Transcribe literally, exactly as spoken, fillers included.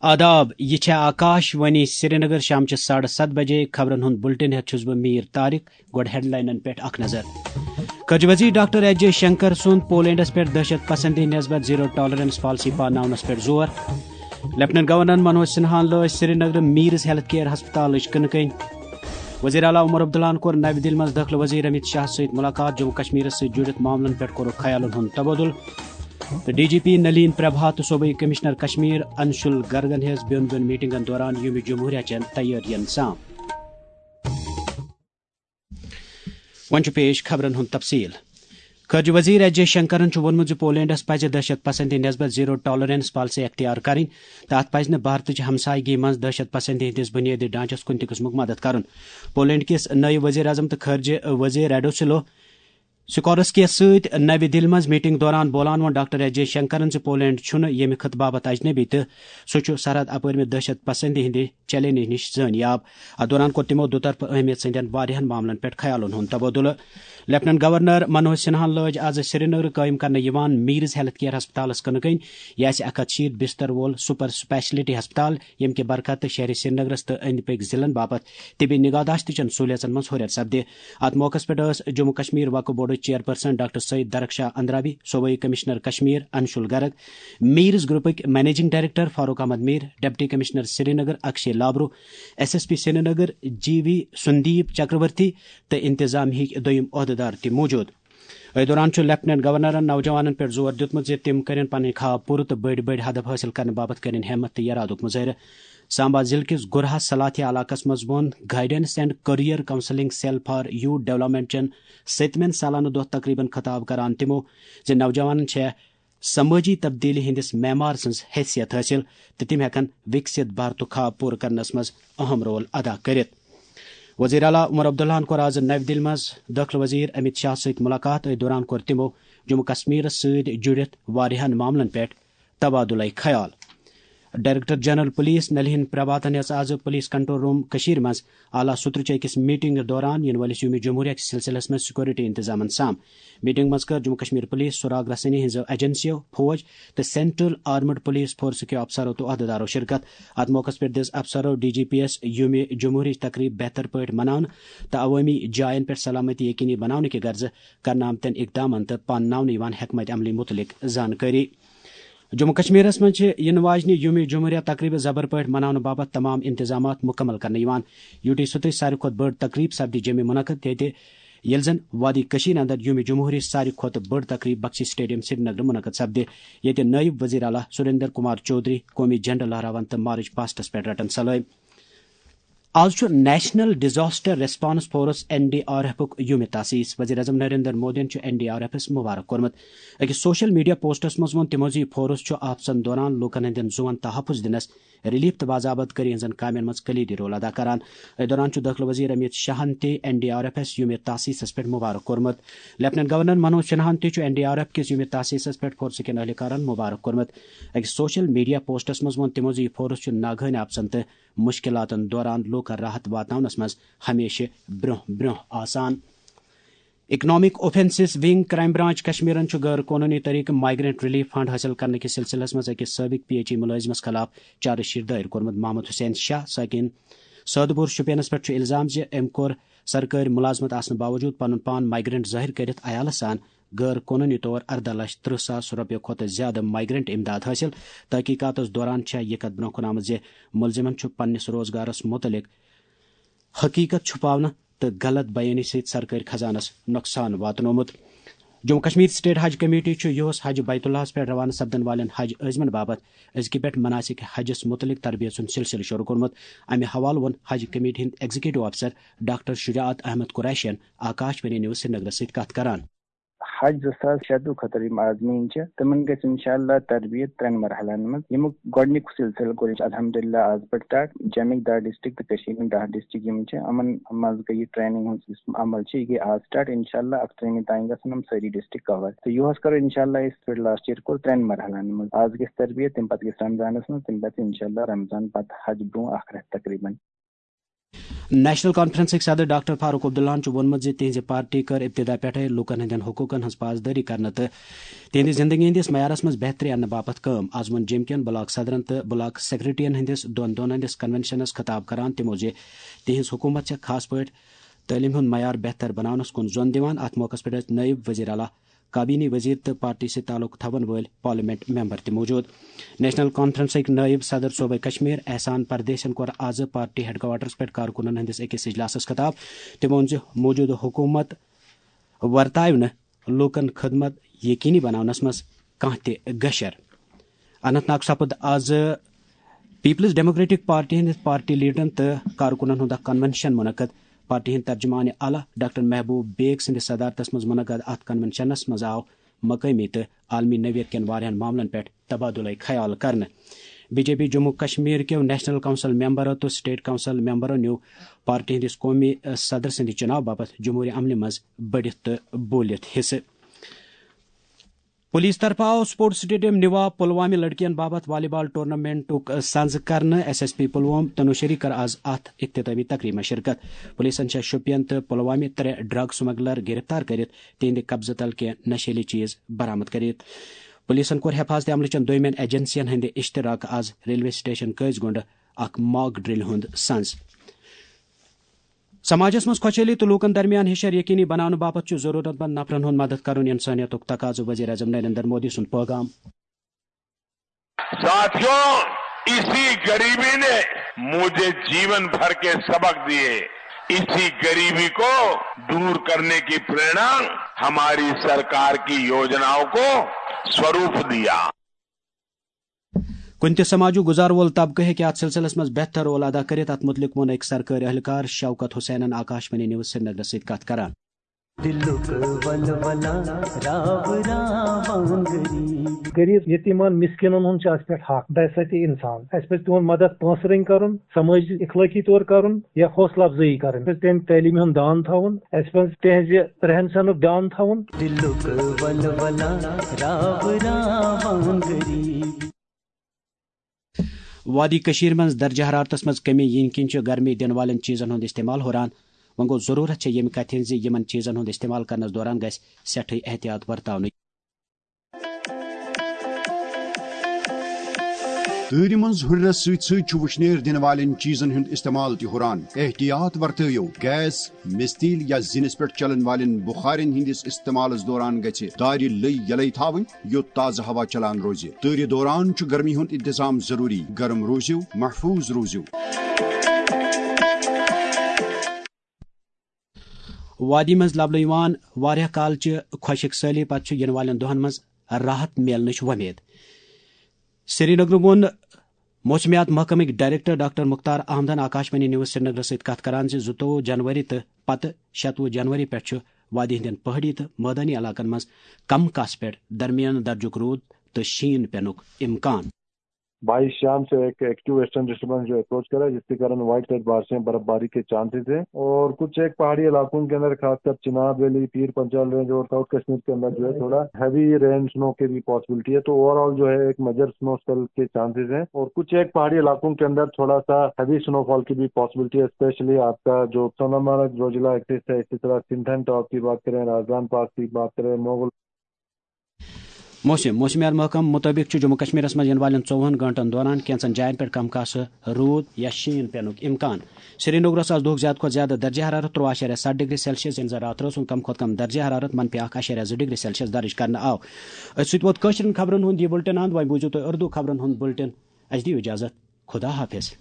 آداب، یہِ چھےٚ آکاش وانی سرینگر۔ شامچہِ ساڑٕ ستھ بجے خبرن ہُنٛد بُلٹن ہٮ۪تھ چھُس بہٕ میٖر طارق۔ گۄڈٕ ہیڈلاینن پٮ۪ٹھ اکھ نظر۔ خارجہ وزیر ڈاکٹر ایس جے شنکر سُنٛد پولینڈس پٮ۪ٹھ دہشت پسندی نسبت زیرو ٹالرنس پالیسی پاناونس پٮ۪ٹھ زور۔ لیفٹننٹ گورنر منوج سنہاہن لٲج سرینگر میٖرز ہیلتھ کیئر ہسپتالٕچ کٕنہٕ کٔنۍ۔ وزیر اعلیٰ عمر عبداللہن کوٚر نَوِ دِلہِ منٛز دٲخلہٕ وزیر امیت شاہ سۭتۍ مُلاقات، جموں کشمیرس سۭتۍ جُڑِتھ معاملن پٮ۪ٹھ کوٚرُکھ خیالن ہُنٛد تبادلہٕ۔ تہٕ D G P Nalin Prabha تہٕ صوبٲئی کمشنر کشمیر انشول گرگن ہیٚژ بیوٚن بیوٚن میٹنگن دوران یومِ جمہوریہ چٮ۪ن تیٲرین سام۔ وۄنۍ چھُ پیش خبرن ہُنٛد تفصیل۔ خارجہ وزیر ایس جے شنکرن چھُ ووٚنمُت زِ پولینڈس پزِ دہشت پسندی نسبت زیرو ٹالرنس پالیسی اختیار کرٕنۍ تہٕ اتھ پزِ نہٕ بھارتٕچ ہمسایگی منٛز دہشت پسندی ہٕنٛدِس بنیٲدی ڈھانچس کُنہِ تہِ قٕسمُک مدد کرُن۔ پولینڈ کِس نٲیِب وزیر اعظم تہٕ خارجہ وزیر ریڈوسلو سکورسکیَس سۭتۍ نَوِ دِلہِ منٛز میٹنگ دوران بولان ووٚن ڈاکٹر ایس جے شنکرن زِ پولینڈ چھُنہٕ ییٚمہِ خطہٕ باپتھ اجنبی تہٕ سُہ چھُ سرحد اپٲرمہِ دہشت پسندی ہٕنٛدِ چیلنج نِش زٲنیاب۔ اتھ دوران کوٚر تِمو دُطرفہٕ اہمیت سٕنٛدٮ۪ن واریاہن معاملن پٮ۪ٹھ خیالن ہُنٛد تبادلہٕ۔ لیفٹننٹ گورنر منوج سنہاہن لٲج آز سرینگرٕ قٲیِم کرنہٕ یِوان میٖرز ہیلتھ کیئر ہسپتالس کٕنہٕ کٔنۍ۔ یہِ آسہِ اکھ ہتھ شیٖتھ بستر وول سپر سپیشلٹی ہسپتال، ییٚمہِ کہِ برکتہٕ شہرِ سرینگرس تہٕ أنٛدۍ پٔکۍ ضلعن باپتھ طبی نگہداشت چٮ۪ن سہولیژن منٛز ہُرٮ۪ر سپدِ۔ اتھ موقعس پٮ۪ٹھ ٲس جموں کشمیر وقف بورڈٕچ چیئرپرسن ڈاکٹر سعید درخشاہ اندرابی، صوبائی کمشنر کشمیر انشول گرگ، میرز گروپٕکۍ managing director Farooq Ahmad Mir, deputy commissioner Srinagar Akshay Labroo, S S P Srinagar G V Sundeep Chakravarthy تہٕ انتظامیہٕکۍ دوٚیم عہدیدار تہِ موجود۔ أتھۍ دوران چھُ لیفٹننٹ گورنرن نوجوانن پٮ۪ٹھ زور دیُتمُت زِ تِم کٔرِن پنٕنۍ خواب پوٗرٕ تہٕ بٔڑۍ بٔڑۍ ہدف حٲصِل کرنہٕ باپتھ کٔرِن ہمت تہٕ ارادُک مظٲہرٕ۔ سامبا ضلعہٕ کِس گُرہا سلاتھیا علاقس منٛز ووٚن guidance and career counselling cell for youth development چٮ۪ن سٔتمٮ۪ن سالانہٕ دۄہ تقریبن خطاب کران تِمو زِ نوجوانن چھےٚ سمٲجی تبدیلی ہٕنٛدِس معمار سٕنٛز حیثیت حٲصِل تہٕ تِم ہٮ۪کن وِکسِت بھارتُک خواب پوٗرٕ کرنس منٛز اہم رول ادا کٔرِتھ۔ وزیر اعلیٰ عمر عبداللہن کوٚر آز نَوِ دِلہِ منٛز دٲخلہٕ وزیر امیت شاہ سۭتۍ مُلاقات۔ أتھۍ دوران کوٚر تِمو جموں کشمیرس سۭتۍ جُڑِتھ واریاہن معاملن پٮ۪ٹھ تبادلہ خیال۔ ڈائریکٹر جنرل پولیس نلہین پربھاتن ہیٚژ آز پولیس کنٹرول روم کٔشیٖرِ منٛز اعلیٰ سطرٕچ أکِس میٹنگ دوران یِنہٕ وٲلِس یومِ جمہوریہ کِس سلسلس منٛز سیکورٹی انتظامن سام۔ میٹنگ منٛز کٔر جموں کشمیر پولیس، سراغ رسٲنی ہٕنٛزو ایجنسیو، فوج تہٕ سینٹرل آرمڈ پولیس فورس کیو افسرو تہٕ عہدیدارو شرکت۔ اتھ موقعس پٮ۪ٹھ دِژ افسرو ڈی جی پی یس یومِ جمہوریہٕچ تقریب بہتر پٲٹھۍ مناونہٕ تہٕ عوٲمی جاین پٮ۪ٹھ سلامتی یقینی بناونہٕ کہِ غرضہٕ کرنہٕ آمتٮ۪ن اقدامن تہٕ پانناونہٕ یِوان حکمت عملی متعلق زانکٲری۔ جموں کشمیرس منٛز چھِ یِنہٕ واجنہِ یومِ جمہوریہ تقریبہِ زبر پٲٹھۍ مناونہٕ باپتھ تمام انتظامات مکمل کرنہٕ یِوان۔ یوٹی سطرٕچ ساروی کھۄتہٕ بٔڑ تقریب سپدِ جیٚمہِ منعقد، ییٚتہِ ییٚلہِ زن وادی کٔشیٖرِ اندر یومِ جمہوریہٕچ ساروی کھۄتہٕ بٔڑ تقریب بخشی سٹیڈیم سرینگرٕ منعقد سپدِ، ییٚتہِ نٲیِب وزیر اعلیٰ سریندر کمار چودھری قومی جھنڈٕ لہراون تہٕ مارچ پاسٹس پٮ۪ٹھ رٹن سلٲمۍ۔ آز چھُ national disaster response force, N D R ایفُک یومِ تاسیس۔ وزیر اعظم نریندر مودیَن چھُ این ڈی آر ایفس مبارک کوٚرمُت۔ أکِس سوشل میڈیا پوسٹس منٛز ووٚن تِمو زِ یہِ فورس چھُ آفژن دوران لوٗکن ہٕنٛدٮ۪ن زُوَن تحفظ دِنس، ریلیف تہٕ باضابط کٔری ہٕنٛزن کامٮ۪ن منٛز کلیدی رول ادا کران۔ أتھۍ دوران چھُ دٲخلہٕ وزیر امیت شاہن تہِ این ڈی آر ایفس یومِ تاسیسس پٮ۪ٹھ مبارک کوٚرمُت۔ لیفٹننٹ گورنر منوج سنہاہن تہِ چھُ این ڈی آر ایف کِس یومِ تاسیسس پٮ۪ٹھ فورسہٕ کٮ۪ن اہلکارن مبارک کوٚرمُت۔ أکِس سوشل میڈیا پوسٹس منٛز ووٚن تِمو زِ یہِ فورس چھُ ناگہٲنی آفژن تہٕ مشکلاتن دوران لوٗکن راحت واتناونس منٛز ہمیشہٕ برٛونٛہہ برٛونٛہہ آسان۔ Economic offences wing, crime branch کشمیرن چھُ غٲر قونوٗنی طریقہٕ مائیگرنٹ ریلیف فنڈ حٲصِل کرنہٕ کِس سلسلس منٛز أکِس سٲبق پی ایچ ای مُلٲزمس خلاف چارج شیٹ دٲیر کوٚرمُت۔ محمد حسین شاہ ساکن سٲدٕ پوٗر شوپینس پٮ۪ٹھ چھُ الزام زِ أمۍ کوٚر سرکٲرۍ مُلازمت آسنہٕ باوجوٗد پنُن پان مائیگرنٹ ظٲہِر کٔرِتھ عیالس سان غٲر قونوٗنی طور ارداہ لچھ ترٕٛہ ساس رۄپیہِ کھۄتہٕ زیادٕ مائیگرنٹ امداد حٲصِل۔ تحقیقاتس دوران چھےٚ یہِ کتھ برونٛہہ کُن آمٕژ زِ مُلزِمن چھُ پننِس روزگارس مُتعلق حقیقت چھُپاونہٕ تہٕ غلط بیٲنی سۭتۍ سرکٲرۍ خزانس نۄقصان واتنومُت۔ جموں کشمیر سٹیٹ حج کمیٹی چھُ یُہُس حج بیت اللہس پٮ۪ٹھ روانہٕ سپدن والٮ۪ن حج عٲزمن باپتھ أزکہِ پٮ۪ٹھ مناسک حجس مُتعلق تربیت سُنٛد سلسلہٕ شروع کوٚرمُت۔ امہِ حوالہٕ ووٚن حج کمیٹی ہٕنٛدۍ ایگزیکٹو افسر ڈاکٹر شجاعت احمد قریشین آکاش وانی نیوز سرینگرس سۭتۍ کتھ کران۔ حج زٕ ساس شیٚتہٕ خٲطرٕ یِم عازمیٖن چھِ، تِمن گژھِ انشاءاللہ تربیت ترٛٮ۪ن مرحلن منٛز، ییٚمیُک گۄڈٕنیُک سلسلہٕ کوٚر اَسہِ الحمدللہ آز پٮ۪ٹھ سٹارٹ۔ جیٚمِکۍ دَہ ڈسٹرکٹ تہٕ کٔشیٖرِ ہٕنٛدۍ دَہ ڈسٹرکٹ یِم چھِ، یِمن منٛز گٔے یہِ ٹریننگ ہُنٛد یُس عمل چھِ، یہِ گٔے آز سٹارٹ۔ انشاءاللہ اَکترٛہمہِ تام گژھن یِم سٲری ڈسٹرکٹ کور۔ تہٕ یُہُس کَرو انشاءاللہ أسۍ پٮ۪ٹھ لاسٹ ییر کوٚر ترٛٮ۪ن مرحلن منٛز۔ آز گژھِ تربیت، تَمہِ پتہٕ گژھِ رمضانس منٛز، تَمہِ پتہٕ انشاءاللہ رمضان پتہٕ حج برونٛہہ اکھ رٮ۪تھ تقریباً۔ نیشنل کانفرنسٕکۍ صدر ڈاکٹر فاروق عبداللہَن چھُ ووٚنمُت زِ تِہنٛزِ پارٹی کٔر ابتدا پٮ۪ٹھَے لوٗکَن ہٕنٛدٮ۪ن حقوٗقَن ہٕنٛز پاسدٲری کرنہٕ تہٕ تِہنٛدِ زندگی ہٕنٛدِس معیارَس منٛز بہتری اَننہٕ باپتھ کٲم۔ آز ووٚن جے ایم کیَن بلاک صدرَن تہٕ بلاک سیکرٹریَن ہٕنٛدِس دۄن دۄہَن ہٕنٛدِس کنونشنَس خطاب کران تِمو زِ تِہنٛز حکوٗمت چھےٚ خاص پٲٹھۍ تعلیٖم ہُنٛد معیار بہتر بناونَس کُن زۄن دِوان۔ اَتھ موقعَس پٮ۪ٹھ ٲسۍ نٲیِب وزیر اعلیٰ، کابینی وزیر تہٕ پارٹی سۭتۍ تعلق تھاون وٲلۍ پارلیمنٹ ممبر تہِ موجود۔ نیشنل کانفرنسٕکۍ نٲیِب صدر صوبہ کشمیر احسان پردیشن کوٚر آز پارٹی ہیڈ کوارٹرس پٮ۪ٹھ کارکُنن ہٕنٛدِس أکِس اجلاسس خطاب۔ تٔمۍ ووٚن زِ موجودٕ حکوٗمت ورتاوِ نہٕ لوٗکن خدمت یقینی بناونس منٛز کانٛہہ تہِ گشر۔ اننت ناگ سپُد آز پیپلز ڈیموکریٹک پارٹی ہٕنٛدِ پارٹی لیڈرن تہٕ کارکُنن ہُنٛد اکھ کنونشن منعقد۔ پارٹی ہٕنٛدۍ ترجمان اعلیٰ ڈاکٹر محبوب بیگ سٕنٛدِس صدارتس منٛز منعقد اتھ کنونشنس منٛز آو مقٲمی تہٕ عالمی نوعیت کٮ۪ن واریاہن معاملن پٮ۪ٹھ تبادلہ خیال کرنہٕ۔ B J P Jammu Kashmir کیو نیشنل کونسل ممبرو تہٕ سٹیٹ کونسل ممبرو نیوٗ پارٹی ہٕنٛدِس قومی صدر سٕنٛدِ چُناو باپتھ جمہوری عملہِ منٛز بٔڑِتھ تہٕ بوٗلِتھ حصہٕ۔ پولیس طرفہٕ آو سپورٹس سٹیڈیم نِوا پلوامہِ لڑکین باپتھ والی بال ٹورنامنٹُک سنز کرنہٕ۔ ایس ایس پی پلوام تنوشری کٔر آز اتھ اختتامی تقریبہِ منٛز شرکت۔ پولیسن چھےٚ شوپین تہٕ پلوامہِ ترٛےٚ ڈرگ سمگلر گرفتار کٔرِتھ تِہنٛدِ قبضہٕ تل کینٛہہ نشیلی چیز برآمد کٔرِتھ۔ پولیسن کوٚر حفاظت عملہٕ چٮ۪ن دویمٮ۪ن ایجنسین ہٕنٛدِ اشتراکہٕ آز ریلوے سٹیشن قٲضۍ گونڈٕ اکھ mock drill ہُنٛد سنز۔ سماجس منٛز خۄشحٲلی تہٕ لوٗکن درمیان ہشر یقینی بناونہٕ باپتھ چھُ ضروٗرت مند نفرن ہُنٛد مدد کرُن انسٲنیتُک تقاضہٕ، وزیر اعظم نریندر مودی سُنٛد پٲغام۔ साथियों, इसी गरीबी ने मुझे जीवन भर के सबक दिए। इसी गरीबी को दूर करने की प्रेरणा हमारी सरकार की योजनाओं को स्वरूप दिया। کُنہِ تہِ سماجُک گُزار وول طبقہٕ ہیٚکہِ اتھ سلسلس منٛز بہتر رول ادا کٔرِتھ، اتھ مُتعلق ووٚن أکۍ سرکٲرۍ اہلکار شوکت حسینن آکاش وانی نیوز سرینگرس سۭتۍ کتھ کران۔ دلُک ولولہ راو راوان غریب۔ غریب یتیمن مسکینن ہُنٛد چھُ اَسہِ پٮ۪ٹھ حق، بحیثیت انسان۔ اَسہِ پزِ تِہُنٛد مدد پونٛسہٕ رٔنٛگۍ کرُن، سمٲجی اخلٲقی طور کرُن یا حوصلہٕ افزٲیی کرٕنۍ۔ اَسہِ پزِ تِہنٛدِ تعلیٖمہِ ہُنٛد دیان تھاوُن، اَسہِ پزِ تِہنٛزِ رہن سہنُک دیان تھاوُن۔ دلُک ولولہ راو راوان غریب۔ وادی کٔشیٖر منٛز درجہ حرارتس منٛز کمی یِنہٕ کِنۍ چھُ گرمی دِنہٕ والٮ۪ن چیٖزن ہُنٛد استعمال ہُران۔ وۄنۍ گوٚو، ضروٗرت چھےٚ ییٚمہِ کتھِ ہٕنٛز زِ یِمن چیٖزن ہُنٛد استعمال کرنس دوران گژھِ سٮ۪ٹھٕے احتیاط ورتاونٕچ۔ تۭرِ منٛز ہُرِرس سۭتۍ سۭتۍ چھُ وُشنیر دِنہٕ والٮ۪ن چیٖزن ہُنٛد استعمال تہِ ہُران۔ احتیاط ورتٲیِو، گیس، مِستیٖل یا زِنِس پٮ۪ٹھ چلن والٮ۪ن بُخارٮ۪ن ہٕنٛدِس استعمالس دوران گژھِ دارِ لٔۍ یلے تھاوٕنۍ، یوٚت تازٕ ہوا چلان روزِ۔ تۭرِ دوران چھُ گرمی ہُنٛد انتظام ضروٗری۔ گرم روٗزِو، محفوٗظ روٗزِو۔ وادی منٛز لبنہٕ یِوان واریاہ کالچہِ خۄشک سٲلی پتہٕ چھُ یِنہٕ والٮ۪ن دۄہن منٛز راحت میلنٕچ وۄمید۔ سرینگرٕ ووٚن موسمیات محکمٕکۍ ڈائریکٹر ڈاکٹر مختار احمدن آکاشوانی نیوز سرینگرس سۭتۍ کتھ کران زِ زٕتووُہ جنوری تہٕ پتہٕ شتوُہ جنوری پٮ۪ٹھ چھُ وادی ہٕنٛدٮ۪ن پہٲڑی تہٕ مٲدانی علاقن منٛز کم کاسہٕ پٮ۪ٹھ درمیانہٕ درجُک روٗد تہٕ شیٖن پینُک امکان۔ بائیس شام سے ایک ایکٹیو ویسٹرن ڈسٹربنس جو اپروچ کر رہا ہے، جس کے کارن وائڈ سائڈ بارشیں، برف باری کے چانسز ہیں اور کچھ ایک پہاڑی علاقوں کے اندر، خاص کر چناب ویلی، پیر پنچال رینج اور ساؤتھ کشمیر کے اندر جو ہے تھوڑا ہیوی رین سنو کے بھی پاسبلٹی ہے۔ تو اوور آل جو ہے ایک میجر سنو اسپیل کے چانسز ہیں اور کچھ ایک پہاڑی علاقوں کے اندر تھوڑا سا ہیوی سنو فال کی بھی پاسبلٹی ہے، اسپیشلی آپ کا جو سونامرگ زوجلا ایکسس ہے، اسی طرح سنتھن ٹاپ کی بات کریں، راجدان پاس کی بات کریں، موغل۔ موسم۔ موسمیات محکمہٕ مُطٲبِق چھُ جموں کشمیرس منٛز یِنہٕ والٮ۪ن ژوٚوُہن گٲنٛٹن دوران کینٛژن جاین پٮ۪ٹھ کم کاسہٕ روٗد یا شیٖن پینُک امکان۔ سرینگرس آز دۄہُک زیادٕ کھۄتہٕ زیادٕ درجہ حرارت تُرٛواہ اعشاریہ ستھ ڈگری سیلسیس، ییٚمہِ زن راتہٕ رٲژ ہُنٛد کم کھۄتہٕ کم درجہ حرارت منفی اکھ اعشاریہ زٕ ڈگری سیلسیس درٕج کرنہٕ آو۔ أتھۍ سۭتۍ ووت کٲشرٮ۪ن خبرن ہُنٛد یہِ بُلٹن اند۔ وۄنۍ بوٗزِو تُہۍ اردو خبرن ہُنٛد بُلٹن۔ اَسہِ دِیِو اجازت۔ خدا حافظ۔